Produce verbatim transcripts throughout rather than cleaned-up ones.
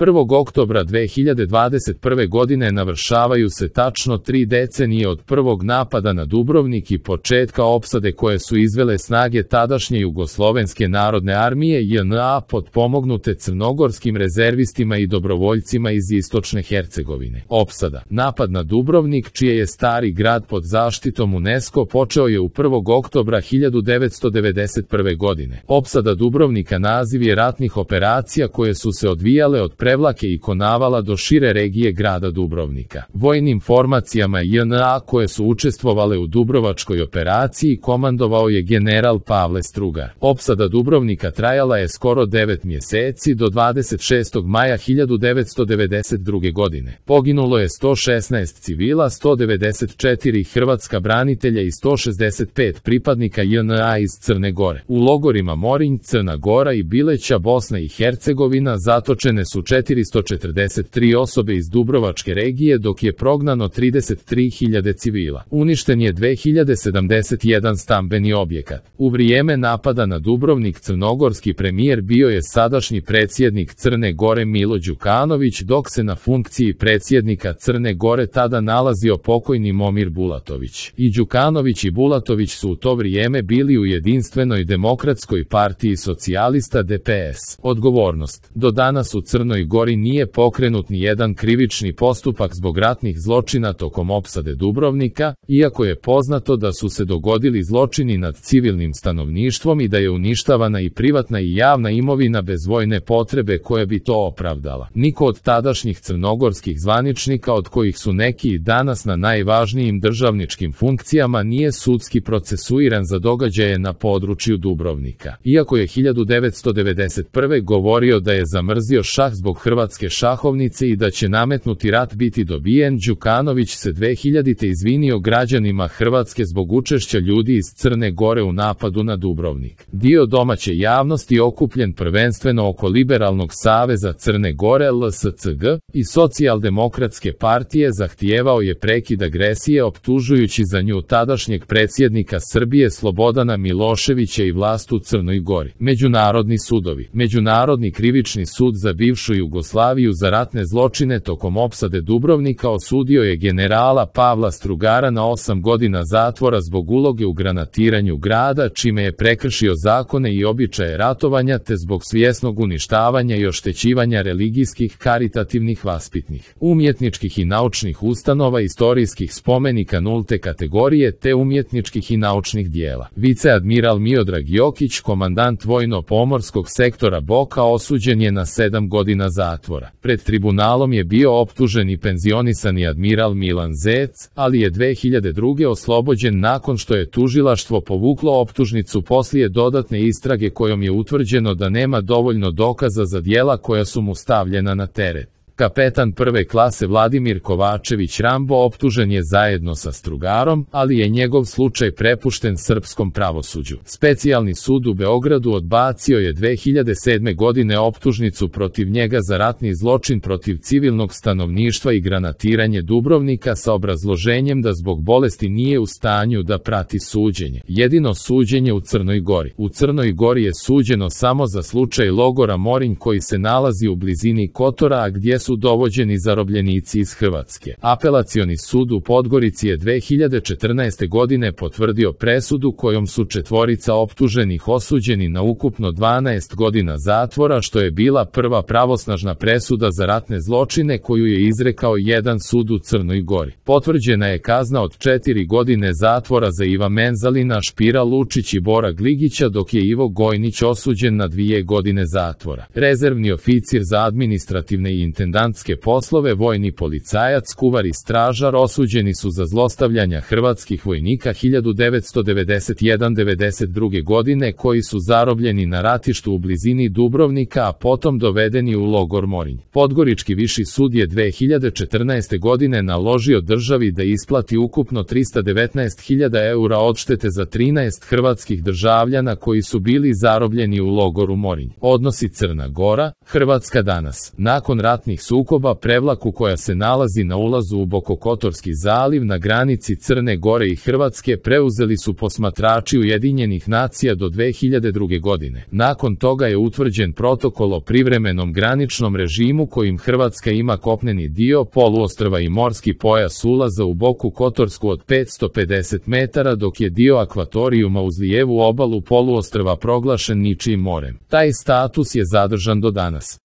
prvog oktobra dve hiljade dvadeset prve. godine navršavaju se tačno tri decenije od prvog napada na Dubrovnik i početka opsade koje su izvele snage tadašnje Jugoslovenske narodne armije J N A potpomognute crnogorskim rezervistima i dobrovoljcima iz istočne Hercegovine. Opsada. Napad na Dubrovnik, čije je stari grad pod zaštitom UNESCO, počeo je u prvog oktobra hiljadu devetsto devedeset prve. godine. Opsada Dubrovnika naziv je ratnih operacija koje su se odvijale od Prevlake i Konavala do šire regije grada Dubrovnika. Vojnim formacijama J N A koje su učestvovale u Dubrovačkoj operaciji komandovao je general Pavle Strugar. Opsada Dubrovnika trajala je skoro devet mjeseci do dvadeset šestog maja hiljadu devetsto devedeset druge. godine. Poginulo je sto šesnaest civila, sto devedeset četiri hrvatska branitelja i sto šezdeset pet pripadnika J N A iz Crne Gore. U logorima Morinj, Crna Gora i Bileća, Bosna i Hercegovina, zatočene su četiristo četrdeset tri osobe iz Dubrovačke regije, dok je prognano trideset tri hiljade civila. Uništen je dve hiljade sedamdeset jedan stambeni objekat. U vrijeme napada na Dubrovnik crnogorski premijer bio je sadašnji predsjednik Crne Gore Milo Đukanović, dok se na funkciji predsjednika Crne Gore tada nalazio pokojni Momir Bulatović. I Đukanović i Bulatović su u to vrijeme bili u Jedinstvenoj demokratskoj partiji socijalista D P S. Odgovornost. Do danas u Crnoj Gori nije pokrenut ni jedan krivični postupak zbog ratnih zločina tokom opsade Dubrovnika, iako je poznato da su se dogodili zločini nad civilnim stanovništvom i da je uništavana i privatna i javna imovina bez vojne potrebe koja bi to opravdala. Niko od tadašnjih crnogorskih zvaničnika, od kojih su neki i danas na najvažnijim državničkim funkcijama, nije sudski procesuiran za događaje na području Dubrovnika. Iako je hiljadu devetsto devedeset prve. govorio da je zamrzio šah zbog hrvatske šahovnice i da će nametnuti rat biti dobijen, Đukanović se dve hiljadite. izvinio građanima Hrvatske zbog učešća ljudi iz Crne Gore u napadu na Dubrovnik. Dio domaće javnosti, okupljen prvenstveno oko Liberalnog saveza Crne Gore L S C G i Socijaldemokratske partije, zahtijevao je prekid agresije, optužujući za nju tadašnjeg predsjednika Srbije Slobodana Miloševića i vlast u Crnoj Gori. Međunarodni sudovi. Međunarodni krivični sud za bivšu Jugoslaviju za ratne zločine tokom opsade Dubrovnika osudio je generala Pavla Strugara na osam godina zatvora zbog uloge u granatiranju grada, čime je prekršio zakone i običaje ratovanja, te zbog svjesnog uništavanja i oštećivanja religijskih, karitativnih, vaspitnih, umjetničkih i naučnih ustanova, istorijskih spomenika nulte kategorije te umjetničkih i naučnih dijela. Viceadmiral Miodrag Jokić, komandant vojno-pomorskog sektora Boka, osuđen je na sedam godina zatvora. Pred tribunalom je bio optužen i penzionisani admiral Milan Zec, ali je dve hiljade druge. oslobođen nakon što je tužilaštvo povuklo optužnicu poslije dodatne istrage kojom je utvrđeno da nema dovoljno dokaza za djela koja su mu stavljena na teret. Kapetan prve klase Vladimir Kovačević Rambo optužen je zajedno sa Strugarom, ali je njegov slučaj prepušten srpskom pravosuđu. Specijalni sud u Beogradu odbacio je dve hiljade sedme. godine optužnicu protiv njega za ratni zločin protiv civilnog stanovništva i granatiranje Dubrovnika sa obrazloženjem da zbog bolesti nije u stanju da prati suđenje. Jedino suđenje u Crnoj Gori. U Crnoj Gori je suđeno samo za slučaj logora Morinj koji se nalazi u blizini Kotora, a gdje su dovođeni zarobljenici iz Hrvatske. Apelacioni sud u Podgorici je dve hiljade četrnaeste. godine potvrdio presudu kojom su četvorica optuženih osuđeni na ukupno dvanaest godina zatvora, što je bila prva pravosnažna presuda za ratne zločine koju je izrekao jedan sud u Crnoj Gori. Potvrđena je kazna od četiri godine zatvora za Iva Menzalina, Špira Lučić i Bora Gligića, dok je Ivo Gojnić osuđen na dvije godine zatvora. Rezervni oficir za administrativne i intendantske poslove, vojni policajac, kuvar i stražar osuđeni su za zlostavljanja hrvatskih vojnika hiljadu devetsto devedeset jedan do devedeset druge. godine koji su zarobljeni na ratištu u blizini Dubrovnika, a potom dovedeni u logor Morinj. Podgorički viši sud je dve hiljade četrnaeste. godine naložio državi da isplati ukupno trista devetnaest hiljada eura odštete za trinaest hrvatskih državljana koji su bili zarobljeni u logoru Morinj. Odnosi Crna Gora, Hrvatska danas. Nakon ratnih oružanih sukoba Prevlaku koja se nalazi na ulazu u Bokokotorski zaliv na granici Crne Gore i Hrvatske preuzeli su posmatrači Ujedinjenih nacija do dve hiljade druge. godine. Nakon toga je utvrđen protokol o privremenom graničnom režimu kojim Hrvatska ima kopneni dio poluostrva i morski pojas ulaza u Boku Kotorsku od petsto pedeset metara dok je dio akvatorijuma uz lijevu obalu poluostrva proglašen ničijim morem. Taj status je zadržan do danas.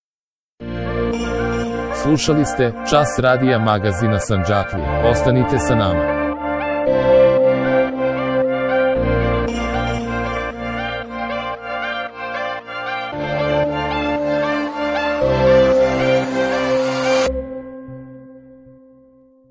Slušali ste Čas radija magazina Sandžaklije. Ostanite sa nama.